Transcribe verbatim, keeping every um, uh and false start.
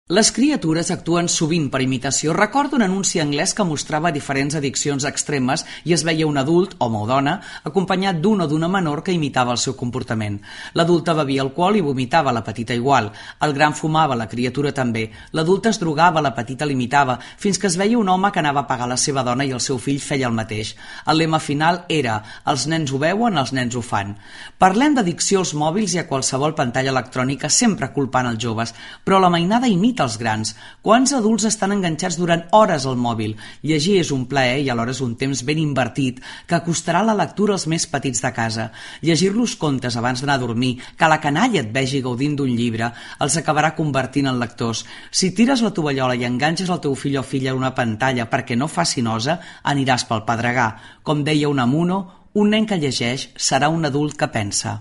Les criatures actuen sovint per imitació. Recordo un anunci anglès que mostrava diferents addiccions extremes i es veia un adult, home o dona, acompanyat d'un o d'una menor que imitava el seu comportament. L'adulta bevia alcohol i vomitava, la petita igual. El gran fumava, la criatura també. L'adulta es drogava, la petita l'imitava, fins que es veia un home que anava a pagar la seva dona i el seu fill feia el mateix. El lema final era «Els nens ho veuen, els nens ho fan». Parlem d'addicció als mòbils i a qualsevol pantalla electrònica, sempre culpant els joves, però la mainada imita als grans. Quants adults estan enganxats durant hores al mòbil? Llegir és un plaer i alhora és un temps ben invertit que acostarà la lectura als més petits de casa. Llegir-los contes abans d'anar a dormir, que la canalla et vegi gaudint d'un llibre, els acabarà convertint en lectors. Si tires la tovallola i enganxes el teu fill o filla a una pantalla perquè no faci nosa, aniràs pel pedregar. Com deia Unamuno, un nen que llegeix serà un adult que pensa.